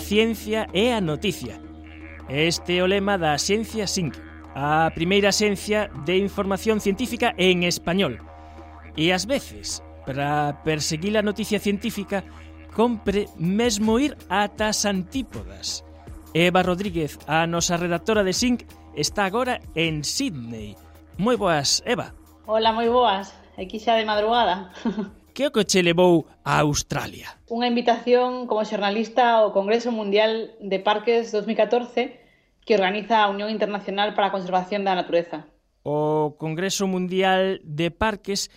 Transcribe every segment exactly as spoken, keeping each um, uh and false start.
ciencia é a noticia. Este é o lema da Axencia SINC, a primeira axencia de información científica en español. E ás veces, para perseguir a noticia científica, compre mesmo ir ata as antípodas. Eva Rodríguez, a nosa redactora de SINC, está agora en Sydney. Moi boas, Eva. Hola, moi boas. Aquí xa de madrugada. Que o que che levou a Australia? Unha invitación como xornalista ao Congreso Mundial de Parques dos mil catorce que organiza a Unión Internacional para a Conservación da Natureza. O Congreso Mundial de Parques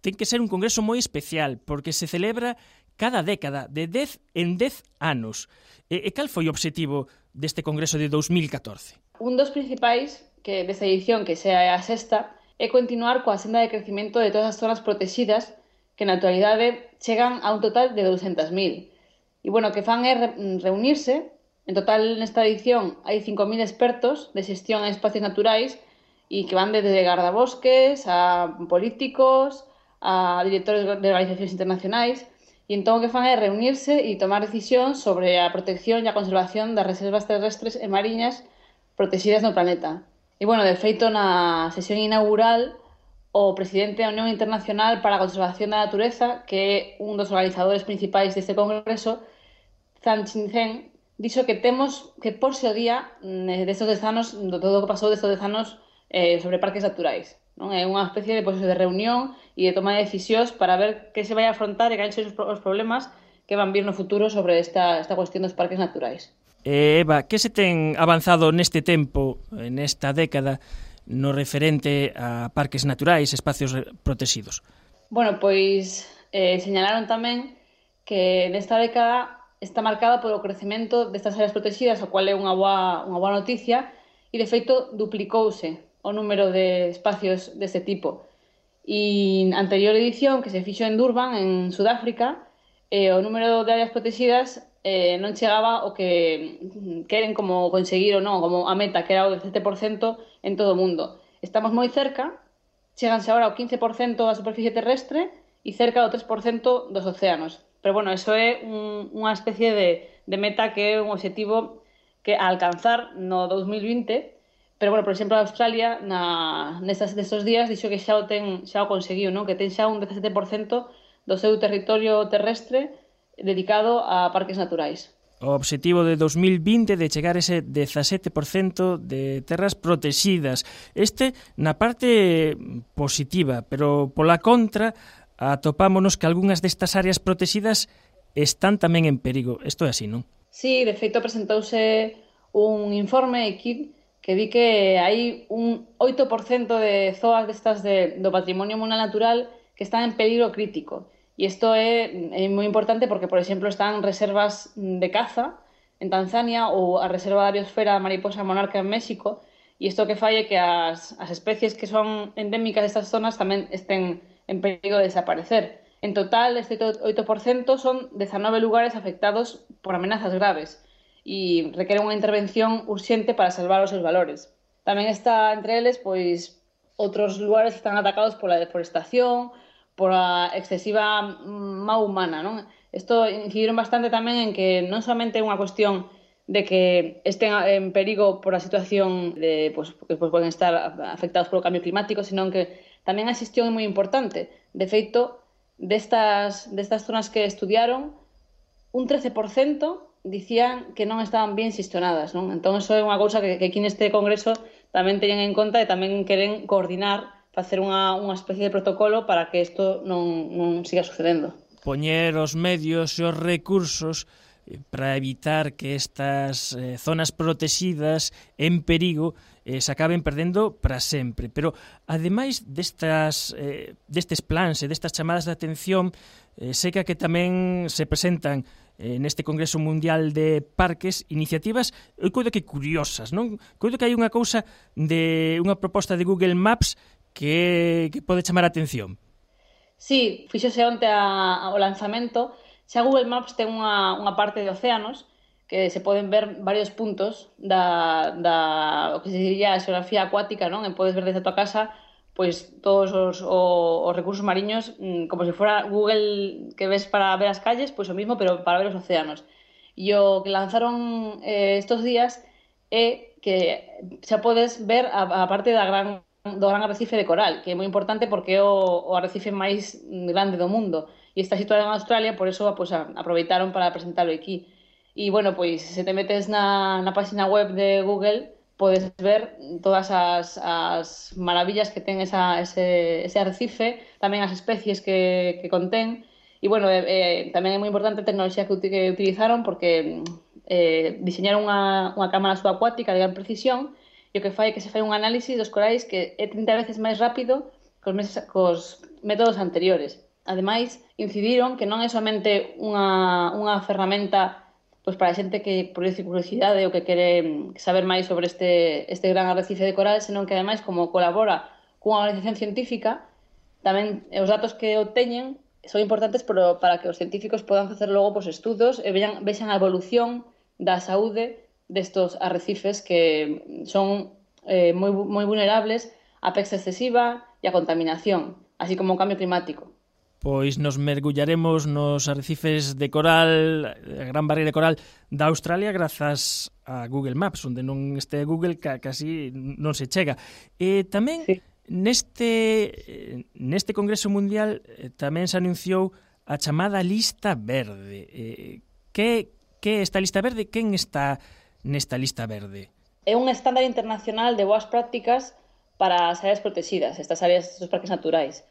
ten que ser un congreso moi especial porque se celebra cada década, de dez en dez anos. E, e cal foi o obxectivo deste congreso de dos mil catorce? Un dos principais que desta edición, que sea a sexta, é continuar coa senda de crecimento de todas as zonas protegidas que na actualidade chegan a un total de douscentas mil. E, bueno, o que fan é re reunirse. En total, nesta edición, hai cinco mil expertos de xestión en espacios naturais e que van desde gardabosques a políticos, a directores de organizacións internacionais. E entón o que fan é reunirse e tomar decisións sobre a protección e a conservación das reservas terrestres e mariñas protegidas no planeta. E, bueno, de feito, na sesión inaugural, o presidente da Unión Internacional para a Conservación da Natureza, que é un dos organizadores principais deste congreso, Zhang Qinzhen, dixo que temos que porse o día destes dez anos, do todo o que pasou destes dez anos eh, sobre parques naturais. Non? É unha especie de, pues, de reunión e de toma de decisións para ver que se vai a afrontar e que son os problemas que van vir no futuro sobre esta, esta cuestión dos parques naturais. Eh, Eva, que se ten avanzado neste tempo, nesta década, no referente a parques naturais, espacios protegidos? Bueno, pois eh, señalaron tamén que nesta década está marcada polo crecemento destas áreas protegidas, o cual é unha boa, unha boa noticia, e de feito duplicouse o número de espacios deste tipo. E na anterior edición, que se fixo en Durban, en Sudáfrica, eh, o número de áreas protegidas eh, non chegaba o que queren como conseguir ou non, como a meta, que era o dezasete por cento en todo o mundo. Estamos moi cerca, cheganse agora ao quince por cento da superficie terrestre e cerca do tres por cento dos océanos. Pero, bueno, eso é un, unha especie de, de meta que é un objetivo que a alcanzar no dos mil vinte, pero, bueno, por exemplo, a Australia na, nestes, nestes días dixo que xa o, ten, xa o conseguiu, non? Que ten xa un dezasete por cento do seu territorio terrestre dedicado a parques naturais. O obxectivo de dos mil vinte de chegar a ese dezasete por cento de terras protegidas. Este na parte positiva, pero pola contra atopámonos que algunhas destas áreas protegidas están tamén en perigo. Isto é así, non? Sí, de feito presentouse un informe equip que di que hai un oito por cento de zoas destas de, do patrimonio mundial natural que están en peligro crítico. E isto é, é moi importante porque, por exemplo, están reservas de caza en Tanzania ou a reserva da biosfera mariposa monarca en México, e isto que fai é que as, as especies que son endémicas destas zonas tamén estén en perigo de desaparecer. En total, este oito por cento son dezanove lugares afectados por amenazas graves e requeren unha intervención urxente para salvar os seus valores. Tamén está entre eles, pois, outros lugares que están atacados pola deforestación, por a excesiva má humana, non? Isto incidiron bastante tamén en que non somente é unha cuestión de que estén en perigo por a situación de, pues, que pues, poden estar afectados polo cambio climático, sino que tamén a xestión é moi importante. De feito, destas, destas zonas que estudiaron, un trece por cento dicían que non estaban bien xestionadas, non? Entón, iso é unha cousa que, que aquí neste congreso tamén teñen en conta e tamén queren coordinar, facer unha, unha especie de protocolo para que isto non, non siga sucedendo. Poñer os medios e os recursos para evitar que estas eh, zonas protegidas en perigo eh, se acaben perdendo para sempre. Pero, ademais destas, eh, destes plans e destas chamadas de atención, eh, seca que tamén se presentan eh, neste Congreso Mundial de Parques iniciativas, eu coido que curiosas, non? Coido que hai unha cousa de unha proposta de Google Maps que, que pode chamar a atención. Sí, fíxose onte a, ao lanzamento. Xa Google Maps ten unha, unha parte de océanos que se poden ver varios puntos da, da o que se diría a xeografía acuática, non? E podes ver desde a tua casa pois todos os, os, os recursos mariños, como se fora Google que ves para ver as calles, pois o mismo, pero para ver os océanos. E o que lanzaron eh, estos días é que xa podes ver a, a parte da gran, do gran arrecife de coral, que é moi importante porque é o, o arrecife máis grande do mundo e está situado en Australia, por eso pues, aproveitaron para presentarlo aquí. E, bueno, pois, se te metes na, na página web de Google, podes ver todas as, as maravillas que ten esa, ese, ese arrecife, tamén as especies que, que contén. E, bueno, eh, tamén é moi importante a tecnoloxía que, que utilizaron porque eh, diseñaron unha, unha cámara subacuática de gran precisión e o que fai é que se fai un análisis dos corais que é trinta veces máis rápido cos, meses, cos métodos anteriores. Ademais, incidiron que non é somente unha, unha ferramenta pois para a xente que por curiosidade ou que quere saber máis sobre este, este gran arrecife de coral, senón que ademais como colabora cunha organización científica, tamén os datos que obteñen son importantes para, para que os científicos podan facer logo pois, estudos e vean, vexan a evolución da saúde destos arrecifes que son eh, moi, moi vulnerables á pesca excesiva e á contaminación, así como o cambio climático. Pois nos mergullaremos nos arrecifes de coral, a gran barreira de coral da Australia grazas a Google Maps, onde non este Google casi non se chega. E tamén sí. neste neste Congreso Mundial tamén se anunciou a chamada lista verde. Que que esta lista verde? Quen está nesta lista verde? É un estándar internacional de boas prácticas para as áreas protegidas, estas áreas dos parques naturais.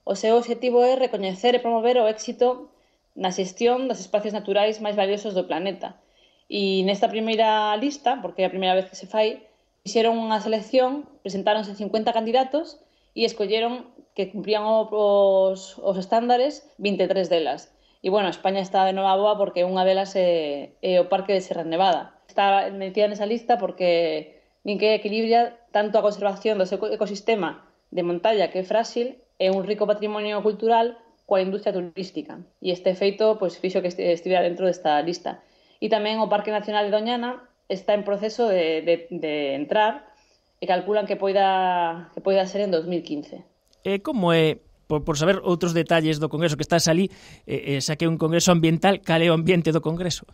O seu objetivo é recoñecer e promover o éxito na xestión dos espacios naturais máis valiosos do planeta. E nesta primeira lista, porque é a primeira vez que se fai, fixeron unha selección, presentáronse cincuenta candidatos e escolleron que cumprían os, os estándares vinte e tres delas. E, bueno, España está de nova boa porque unha delas é, é o Parque de Serra Nevada. Está metida nesa lista porque nin que equilibra tanto a conservación do seu ecosistema de montaña, que é frágil, é un rico patrimonio cultural coa industria turística. E este feito pois, fixo que estivera dentro desta lista. E tamén o Parque Nacional de Doñana está en proceso de, de, de entrar e calculan que poida, que poida ser en dos mil quince. E como é, por, por saber outros detalles do Congreso que estás ali, eh, xa que é un Congreso ambiental, cal é o ambiente do Congreso?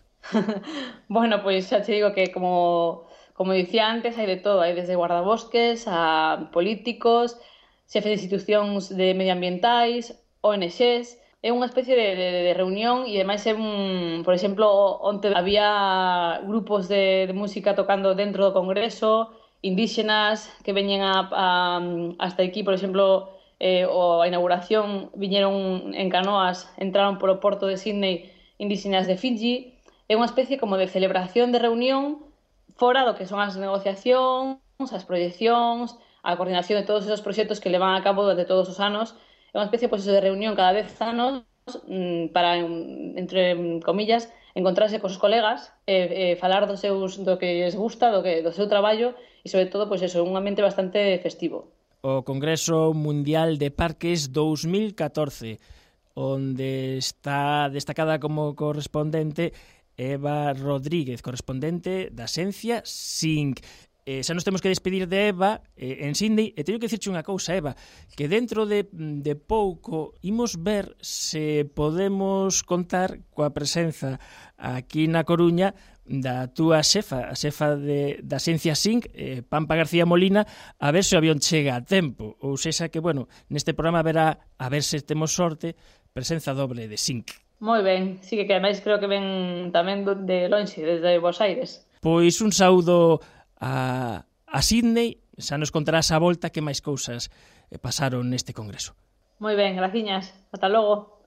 Bueno, pois xa te digo que como, como dicía antes, hai de todo. Hai desde guardabosques a políticos, xefes de institucións de medioambientais, O N Xes. É unha especie de, de, de reunión e ademais é un, por exemplo, onte había grupos de, de música tocando dentro do Congreso, indígenas que veñen a, a, hasta aquí, por exemplo, eh, o a inauguración viñeron en canoas, entraron polo porto de Sydney indígenas de Fiji. É unha especie como de celebración de reunión fora do que son as negociacións, as proyeccións, a coordinación de todos esos proxectos que levan a cabo durante todos os anos. É unha especie pues, de reunión cada dez anos para, entre comillas, encontrarse cos colegas e, e falar do, seus, do que les gusta, do, que, do seu traballo e, sobre todo, pues eso, un ambiente bastante festivo. O Congreso Mundial de Parques dous mil catorce, onde está destacada como correspondente Eva Rodríguez, correspondente da Xencia Sync. Eh, xa nos temos que despedir de Eva eh, en Sydney, e teño que dicirche unha cousa, Eva, que dentro de, de pouco imos ver se podemos contar coa presenza aquí na Coruña da túa xefa, a xefa de, da Xencia Sync, eh, Pampa García Molina, a ver se o avión chega a tempo, ou sexa que, bueno, neste programa verá, a ver se temos sorte, presenza doble de Sync. Moi ben, sí que ademais creo que ven tamén de lonxe, desde Buenos Aires. Pois un saúdo a, a Sydney, xa nos contarás a volta que máis cousas pasaron neste congreso. Moi ben, graciñas. Ata logo.